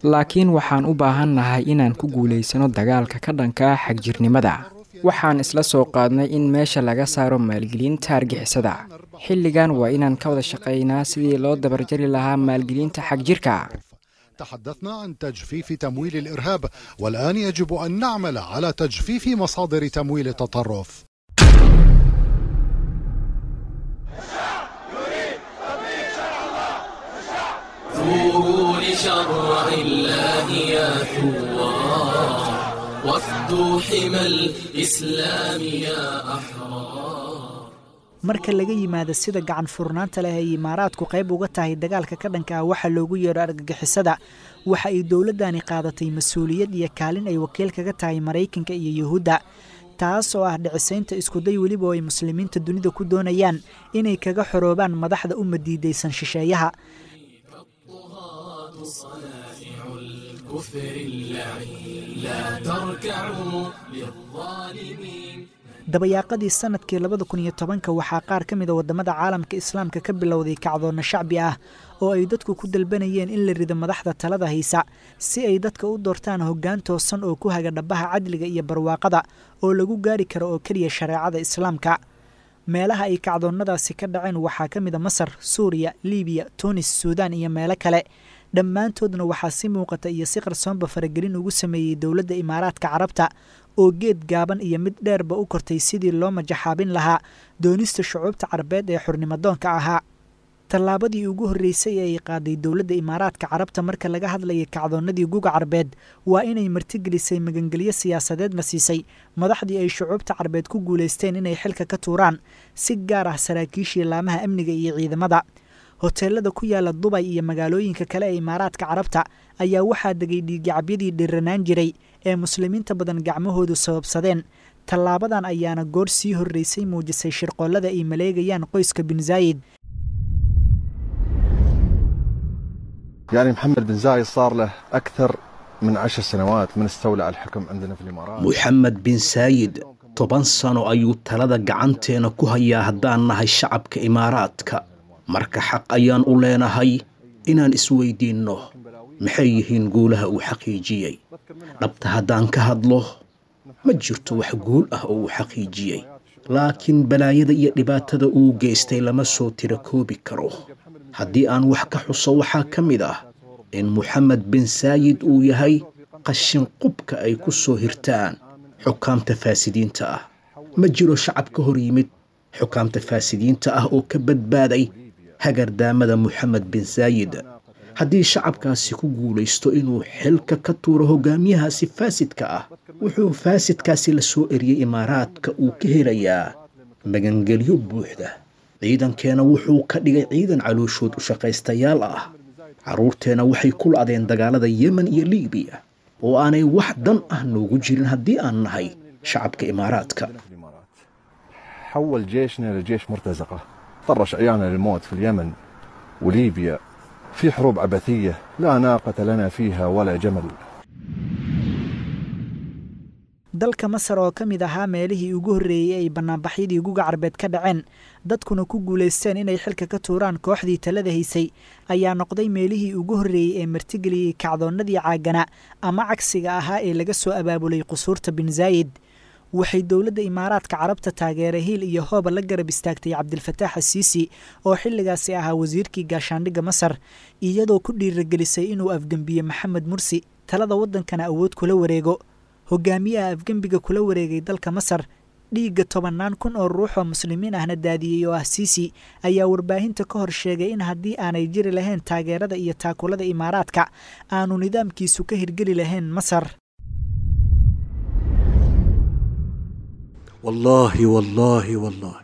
Laakiin waxaan u baahannahay inaan ku guulaysano dagaalka ka dhanka ah xagjirnimada. Waxaan isla soo qaadnay in meesha laga saaro maalgelinta argixisada. Xilligan waa inaan ka wada shaqaynaa sidii loo dabarjari lahaa maalgelinta xagjirka. تحدثنا عن تجفيف تمويل الإرهاب، والآن يجب أن نعمل على تجفيف مصادر تمويل التطرف. ثوروا لشرع الله يا ثوار، وافدوا حمى الإسلام يا أحرار. Marka laga yimaado sida gacan furnaanta leh ay Imaaraadku qayb uga tahay dagaalka ka dhanka ah waxa loogu yeero argagixisada, waxa ay dowladdani qaadatay mas-uuliyad iyo kaalin ay wakiil kaga tahay Maraykanka iyo Yuhuudda, taas oo ah dhicisaynta iskuday weliba oo ay muslimiinta dunida ku doonayaan inay kaga xoroobaan madaxda u madiidaysan shisheeyaha. Dabayaaqadii sanadkii 2010-ka waxaa qaar ka mid a waddamada caalamka islaamka ka bilowday kacdoonna shacbi ah oo ay dadku ku dalbanayeen in la rido madaxda talada haysa si ay dadka u doortaan hoggaan toosan oo ku haga dhabaha cadliga iyo barwaaqada oo lagu gaari karo oo keliya shareecada islaamka. Meelaha ay kacdoonnadaasi ka dhaceen waxaa ka mid a Masar, Suuriya, Liibiya, Tunis, Suudaan iyo meelo kale. Dhammaantoodna waxaa si muuqata iyo si qarsoonba faragelin ugu sameeyey dowladda Imaaraadka Carabta oo geed gaaban iyo mid dheerba u kortay sidii loo majaxaabin lahaa doonista shucuubta carbeed ee xurnimadoonka ahaa. Tallaabadii ugu horreysay ee ay qaaday dowladda Imaaraadka Carabta marka laga hadlayay kacdoonnadii guga carbeed waa inay martigelisay magangelyo siyaasadeedna siisay madaxdii ay shucuubta carbeed ku guulaysteen inay xilka ka tuuraan, si gaar ah saraakiishii laamaha amniga iyo ciidamada. Hoteelada ku yaala Dubay iyo magaalooyinka kale ee Imaaraadka Carabta ayaa waxaa degay dhiiggacabyadii dhiranaan jiray ee muslimiinta badan gacmahoodu sababsadeen. Tallaabadan ayaana goor sii horreysay muujisay shirqoollada ay maleegayaan qoyska Bin Zaayid. يعني محمد بن زايد صار له أكثر من 10 سنوات من استولى على الحكم عندنا في الإمارات. Moxamed bin Saayid 10 sano ayuu talada gacanteena ku hayaa haddaan nahay shacabka Imaaraadka. Marka xaq ayaan u leenahay inaan isweydiinno maxay yihiin guulaha uu xaqiijiyey. Dhabta haddaan ka hadlo, ma jirto wax guul ah oo uu xaqiijiyey, laakiin balaayada iyo dhibaatada uu geystay lama soo tirakoobi karo. Haddii aan wax ka xuso, waxaa ka mid ah in Moxamed bin Saayid uu yahay qashin qubka ay ku soo hirtaan xukaamta faasidiinta ah. Ma jiro shacab ka hor yimid xukaamta faasidiinta ah oo ka badbaaday hagardaamada Moxamed bin Saayid. Haddii shacabkaasi ku guulaysto inuu xilka ka tuuro hogaamiyahaasi faasidka ah, wuxuu faasidkaasi la soo eriyey Imaaraadka uu ka helayaa magangelyo buuxda. Ciidankeena wuxuu ka dhigay ciidan calooshood u shaqaystayaal ah. Carruurteena waxay ku la'deen dagaalada Yemen iyo Liibiya oo aanay wax dan ah noogu jirin haddii aan nahay shacabka Imaaraadka. حول جيشنا لجيش مرتزقة، طرش عيالنا للموت في اليمن وليبيا في حروب عبثية لا ناقة لنا فيها ولا جمل. Dalka Masar oo ka mid ahaa meelihii ugu horreeyey ay bannaanbaxyadii guga carbeed ka dhaceen, dadkuna ku guulaysteen inay xilka ka tuuraan kooxdii talada haysay, ayaa noqday meelihii ugu horreeyey ee martigeliyey kacdoonnadii caagana ama cagsiga ahaa ee laga soo abaabulay qusuurta Bin Zaayid. Waxay dowladda Imaaraadka Carabta taageera hiil iyo hooba la garab istaagtay Cabdilfataax Asiisi oo xilligaasi ahaa wasiirkii gaashaandhigga Masar, iyadoo ku dhiiragelisay inuu afgembiye Maxamed Mursi talada waddankana awood kula wareego. Hogaamiyaha afgembiga kula wareegay dalka Masar dhiigga 10,000 oo ruux oo muslimiin ahna daadiyey oo ah Siisi ayaa warbaahinta ka hor sheegay in haddii aanay jiri lahayn taageerada iyo taakulada Imaaraadka aanu nidaamkiisu ka hirgeli lahayn Masar. والله والله والله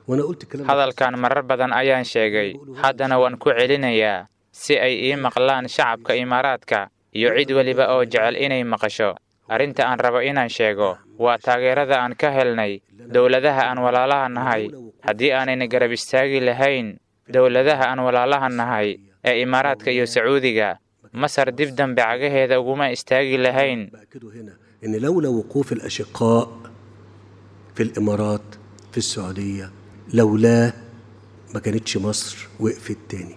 وانا قلت الكلام ده. Hadalkan marar badan ayaan sheegay, haddana waan ku celinayaa si ay ii maqlaan shacabka Imaaraadka iyo cid weliba oo jecel inay maqasho. Arrinta aan rabo inaan sheego waa taageerada aan ka helnay dowladaha aan walaalaha nahay. Haddii aanayna garab istaagi lahayn dowladaha aan walaalaha nahay ee Imaaraadka iyo Sacuudiga, Masar dib dambe cagaheeda uguma istaagi lahayn. بأكده هنا ان لولا وقوف الاشقاء في الامارات في السعوديه، لولاه ما كانتش مصر وقفت تاني.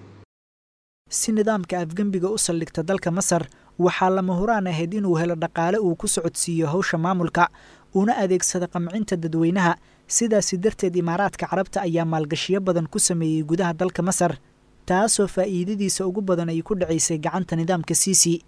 Si nidaamka afgembiga u saldhigta dalka Masar, waxaa lama huraan ahayd inuu helo dhaqaale uu ku socodsiiyo hawsha maamulka, una adeegsada qamcinta dadweynaha. Sidaasi darteed, Imaaraadka Carabta ayaa maalgashiyo badan ku sameeyey gudaha dalka Masar, taasoo faa'iidadiisa ugu badan ay ku dhacaysay gacanta nidaamka Siisi.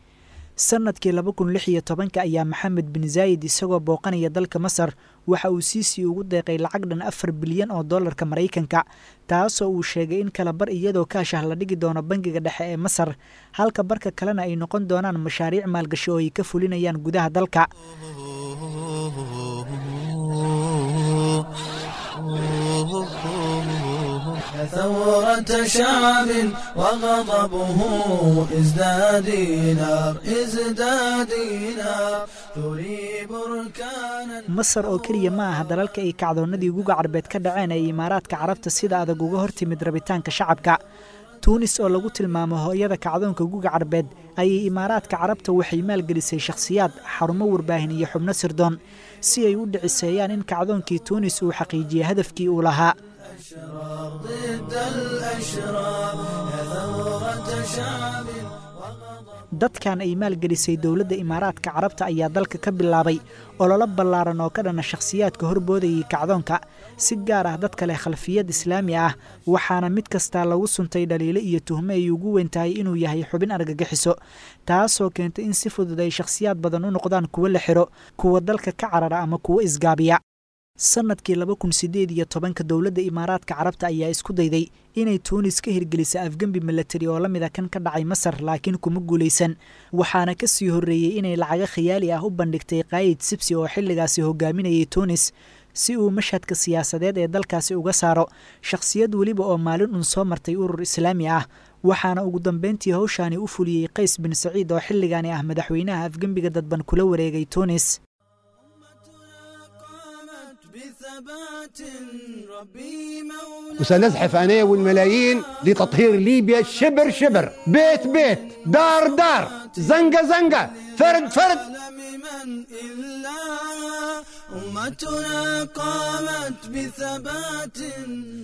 Sanadkii 2016-ka ayaa Maxamed bin Zaayid isagoo booqanaya dalka Masar waxa uu Siisi ugu deeqay lacag dhan 4 bilyan oo dollarka Maraykanka, taasoo uu sheegay in kala bar iyadoo kaash ah la dhigi doono bangiga dhexe ee Masar, halka barka kalena ay noqon doonaan mashaariic maalgashi oo ay ka fulinayaan gudaha dalka. ثورة شعب وغضبه ازداد نار ازداد نار تري بركانا. Masar oo keliya ma aha dalalka ay kacdoonnadii guga carbeed ka dhaceen ee Imaaraadka Carabta sida adag uga hortimid rabitaanka shacabka. Tuunis oo lagu tilmaamo hooyada kacdoonka guga carbeed ayay Imaaraadka Carabta waxay maalgelisay shakhsiyaad, xarumo warbaahin iyo xubno sirdoon si ay u dhiciseeyaan in kacdoonkii Tuunis uu xaqiijiyey hadafkii uu lahaa. ضد الأشرار يا ثورة شعب. Dadkan ay maalgelisay dowladda Imaaraadka Carabta ayaa dalka ka bilaabay ololo ballaaran oo ka dhana shakhsiyaadka horboodayay kacdoonka, si gaar ah dadka leh khalfiyad islaami ah, waxaana mid kastaa lagu suntay dhaliilo iyo tuhmo ay ugu weyn tahay inuu yahay xubin argagixiso, taasoo keentay in si fudud ay shakhsiyaad badan u noqdaan kuwo la xiro, kuwa dalka ka carara ama kuwo isgaabiya. Sanadkii 2018-ka dowladda Imaaraadka Carabta ayaa isku dayday inay Tuunis ka hirgelisa afgembi milatari oo la mid a kan ka dhacay Masar, laakiin kuma guulaysan. Waxaana ka sii horreeyey inay lacago khiyaali ah u bandhigtay Qaayid Sibsi oo xilligaasi hogaaminayay Tuunis, si uu mashhadka siyaasadeed ee dalkaasi uga saaro shakhsiyad weliba oo maalin un soo martay urur islaami ah. Waxaana ugu dambeyntii hawshaani u fuliyey Qays bin Saciid oo xilligaani ah madaxweynaha afgembiga dadban kula wareegay Tuunis. بثبات ربي مولاي. وسنزحف أنا والملايين لتطهير ليبيا شبر شبر، بيت بيت، دار دار، زنقة زنقة، فرد فرد. من إلا أمتنا قامت بثبات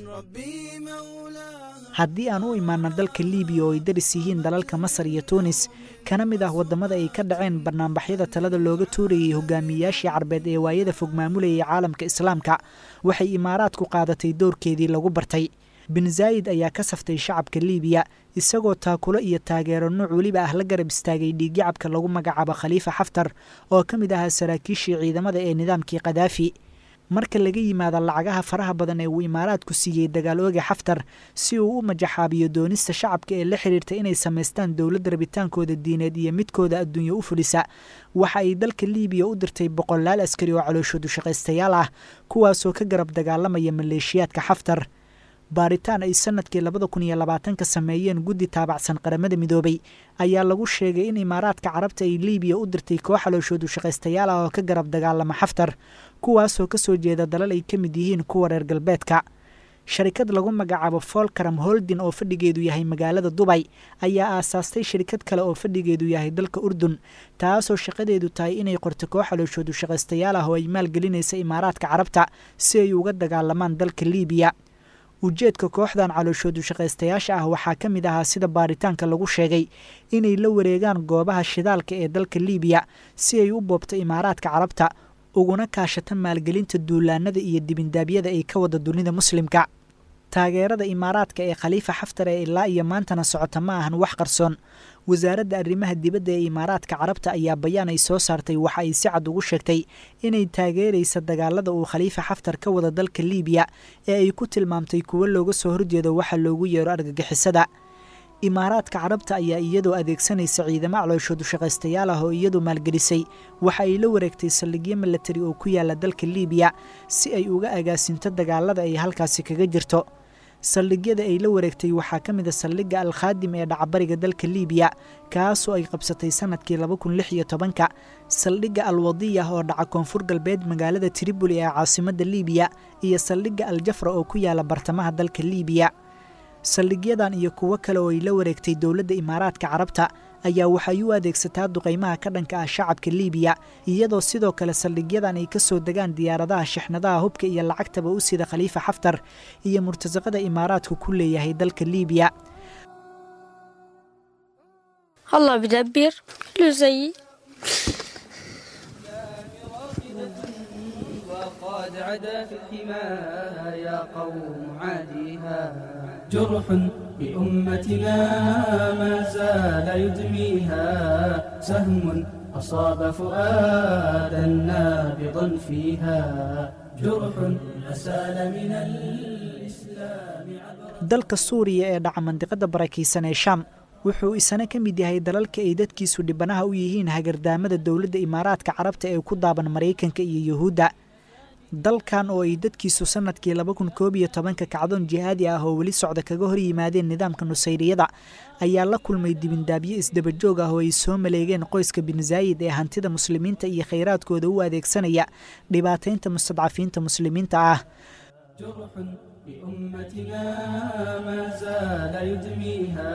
ربي مولاها. Haddii aan u imaano dalka Liibiya oo ay daris yihiin dalalka Masar iyo Tuunis, kana mid ah waddamada ay ka dhaceen barnaamijyada talada looga tuurayay hogaamiyayaashii carbeed ee waayada fog maamulayay caalamka islaamka, waxay Imaaraadku qaadatay doorkeedii lagu bartay. Bin Zaayid ayaa ka saftay shacabka Liibiya, isagoo taakulo iyo taageero nuuc weliba ah la garab istaagay dhiigyacabka lagu magacaabo Khaliifa Xaftar oo ka mid ahaa saraakiishii ciidamada ee nidaamkii Qadaafi. Marka laga yimaado lacagaha faraha badan ee uu Imaaraadku siiyey dagaal ooga Xaftar si uu u majaxaabiyo doonista shacabka ee la xiriirta inay samaystaan dowlad rabitaankooda diineed iyo midkooda adduunyo u fulisa, waxa ay dalka Liibiya u dirtay boqolaal askari oo calooshoodu shaqaystayaal ah, kuwaasoo ka garab dagaalamaya maleeshiyaadka Xaftar. Baaritaan ay sanadkii 2020-ka sameeyeen guddi taabacsan Qaramada Midoobay ayaa lagu sheegay in Imaaraadka Carabta ay Liibiya u dirtay koox calooshoodu shaqaystayaal ah oo ka garab dagaalama Xaftar, kuwaasoo ka soo jeeda dalal ay ka mid yihiin kuwa reer galbeedka. Sharikad lagu magacaabo Folkaram Holding oo fadhigeedu yahay magaalada Dubay ayaa aasaastay shirkad kale oo fadhigeedu yahay dalka Urdun, taasoo shaqadeedu tahay inay qorto koox calooshoodu shaqaystayaal ah oo ay maalgelinaysa Imaaraadka Carabta si ay uga dagaalamaan dalka Liibiya. Ujeedka kooxdan calooshoodu shaqaystayaasha ah waxaa ka mid ahaa, sida baaritaanka lagu sheegay, inay la wareegaan goobaha shidaalka ee dalka Liibiya si ay u boobto Imaaraadka Carabta, uguna kaashata maalgelinta duulaanada iyo dibindaabyada ay ka wada dunida muslimka. Taageerada Imaaraadka ee Khaliifa Xaftar ee ilaa iyo maantana socota ma ahan wax qarsoon. Wasaaradda arrimaha dibadda ee Imaaraadka Carabta ayaa bayaan ay soo saartay waxa ay si cad ugu sheegtay inay taageeraysa dagaalada uu Khaliifa Xaftar ka wada dalka Liibiya ee ay ku tilmaamtay kuwo looga soo horjeedo waxa loogu yeero argagixisada. Imaaraadka Carabta ayaa iyadoo adeegsanaysa ciidamo calooshoodu shaqaystayaal ah oo iyadu maalgelisay waxa ay la wareegtay saldhigyo milatari oo ku yaala dalka Liibiya si ay uga agaasinto dagaalada ay halkaasi kaga jirto. Saldhigyada ay la wareegtay waxaa ka mid a saldhigga Alkhaadim ee dhacabariga dalka Liibiya, kaasoo ay qabsatay sanadkii 2016-ka, saldhigga Alwadiyah oo dhaca koonfur galbeed magaalada Tripoli ee caasimadda Liibiya, iyo saldhigga Aljafra oo ku yaala bartamaha dalka Liibiya. Saldhigyadan iyo kuwo kale oo ay la wareegtay dowladda Imaaraadka Carabta ayaa waxay u adeegsataa duqaymaha ka dhanka ah shacabka Liibiya, iyadoo sidoo kale saldhigyadan ay ka soo degaan diyaaradaha shixnadaha hubka iyo lacagtaba u sida Khaliifa Xaftar iyo murtasaqada Imaaraadku ku leeyahay dalka Liibiya. الله بدبر له زيي. وقد عدا في الحمى يا قوم عاديها جرح بأمتنا ما زال يدميها سهم أصاب فؤادا نابضا فيها جرح أسال من الإسلام. Dalka Suuriya ee dhaca mandiqada barakeysan ee Shaam wuxuu isana ka mid yahay dalalka ay dadkiisu dhibanaha u yihiin hagardaamada dowladda Imaaraadka Carabta ee ku daaban Mareykanka iyo Yuhuudda. Dalkan oo ay dadkiisu sanadkii 2011 kacdoon jihaadi ah oo weli socda kaga hor yimaadeen nidaamka Nusayriyada ayaa la kulmay dibindaabyo isdaba joog ah oo ay soo maleegeen qoyska Bin Zaayid ee hantida muslimiinta iyo khayraadkooda u adeegsanaya dhibaataynta mustadcafiinta muslimiinta ah. جرح بأمتنا ما زال يدميها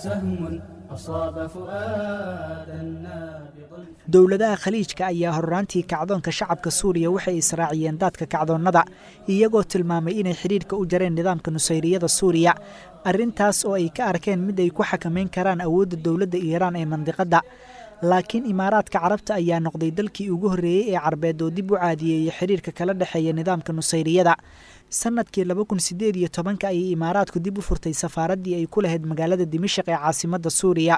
سهم أصاب فؤادا نابضا. Dowladaha Khaliijka ayaa horraantii kacdoonka shacabka Suuriya waxay israaciyeen daadka kacdoonnada, iyagoo tilmaamay inay xidhiidhka u jareen nidaamka Nusayriyada Suuriya, arrintaas oo ay ka arkeen mid ay ku xakameyn karaan awoodda dowladda Iiraan ee mandiqadda. Laakiin Imaaraadka Carabta ayaa noqday dalkii ugu horreeyey ee Carbeed oo dib u caadiyeeyey xiriirka kala dhexeeya nidaamka Nusayriyada. Sanadkii 2018 ayay Imaaraadku dib u furtay safaaraddii ay ku lahayd magaalada Dimashq ee caasimadda Suuriya.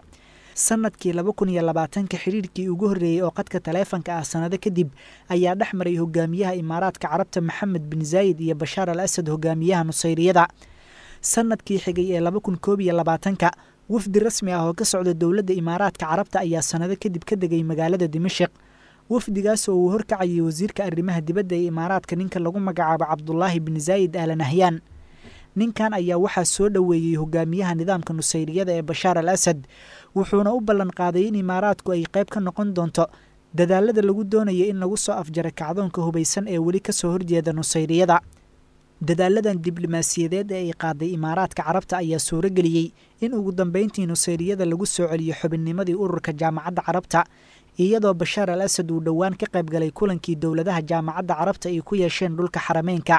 Sanadkii 2020 xiriirkii ugu horreeyey oo qadka taleefanka ah sanado kadib ayaa dhex maray hogaamiyaha Imaaraadka Carabta Maxamed bin Zaayid iyo Bashaar al Asad hogaamiyaha Nusayriyada. Sanadkii xigay ee 2021 wafdi rasmi ah oo ka socda dowladda Imaaraadka Carabta ayaa sanado kadib ka degay magaalada Dimashq. Wafdigaas oo uu horkacayay wasiirka arrimaha dibadda ee Imaaraadka ninka lagu magacaabo Cabdullaahi bin Zaayid Al Nahyan. Ninkan ayaa waxaa soo dhoweeyey hogaamiyaha nidaamka Nusayriyada ee Bashaar al Asad, wuxuuna u ballan qaaday in Imaaraadku ay qayb ka noqon doonto dadaalada lagu doonayo in lagu soo afjaro kacdoonka hubaysan ee weli ka soo horjeeda Nusayriyada. Dadaaladan diblomaasiyadeed ee ay qaaday Imaaraadka Carabta ayaa suurageliyey in ugu dambeyntii Nusayriyada lagu soo celiyo xubinnimadii ururka Jaamacadda Carabta, iyadoo Bashaar al Asad uu dhowaan ka qayb galay kulankii dowladaha Jaamacadda Carabta ay ku yeesheen dhulka Xarameynka.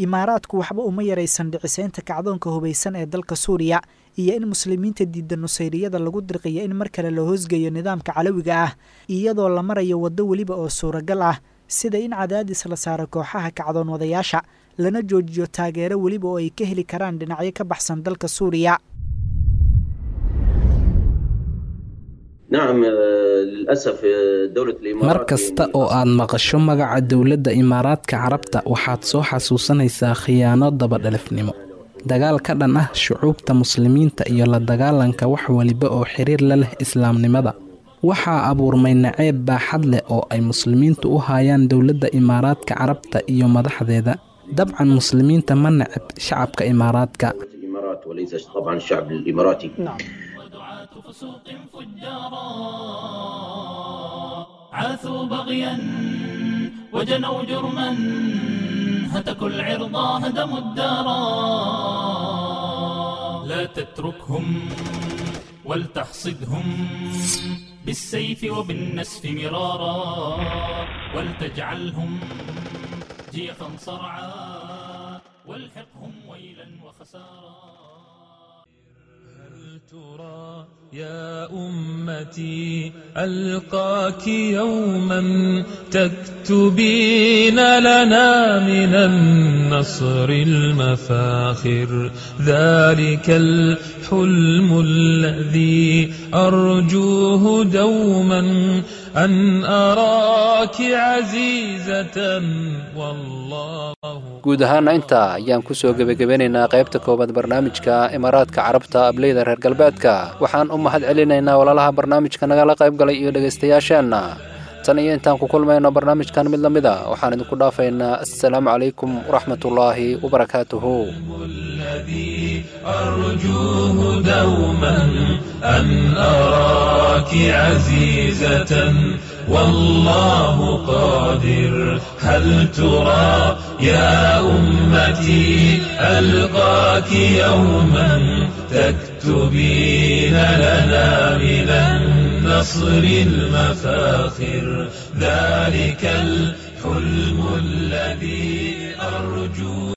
Imaaraadku waxba uma yaraysan dhiciseynta kacdoonka hubaysan ee dalka Suuriya iyo in muslimiinta diidda Nusayriyada lagu dirqiyo in mar kale la hoosgeeyo nidaamka calawiga ah, iyadoo la marayo waddo weliba oo suuragal ah, sida in cadaadis la saaro kooxaha kacdoon wadayaasha lana joojiyo taageero weliba oo ay ka heli karaan dhinacyo ka baxsan dalka Suuriya. Mar kasta oo aad maqasho magaca dowladda Imaaraadka Carabta waxaad soo xasuusanaysaa khiyaano dabadhalifnimo, dagaal ka dhan ah shucuubta muslimiinta iyo la dagaalanka wax waliba oo xiriir la leh islaamnimada. Waxaa abuurmay naceeb baaxad leh oo ay muslimiintu u hayaan dowladda Imaaraadka Carabta iyo madaxdeeda. Dabcan muslimiinta ma neceb shacabka Imaaraadka. عاثوا بغيا وجنوا جرما هتكوا العرض هدموا الدارا لا تتركهم ولتحصدهم بالسيف وبالنسف مرارا ولتجعلهم جيفا صرعا والحقهم ويلا وخسارا. هل ترى يا أمتي ألقاك يوما تكتبين لنا من النصر المفاخر ذلك الحلم الذي أرجوه دوما أن أراك عزيزة والله. Guud ahaana intaa ayaan ku soo gebagabeynaynaa qaybta koowaad barnaamijka Imaaraadka Carabta ableyda reer galbeedka. Waxaan u mahad celinaynaa walaalaha barnaamijka nagala qayb galay iyo dhegaystayaasheenna. Tan iyo intaan ku kulmayno barnaamijkan mid la mid a, waxaan idinku dhaafaynaa assalaamu calaykum waraxmatullaahi wabarakaatuhu. أرجوه دوما أن أراك عزيزة والله قادر. هل ترى يا أمتي ألقاك يوما تكتبين لنا من النصر المفاخر ذلك الحلم الذي أرجوه.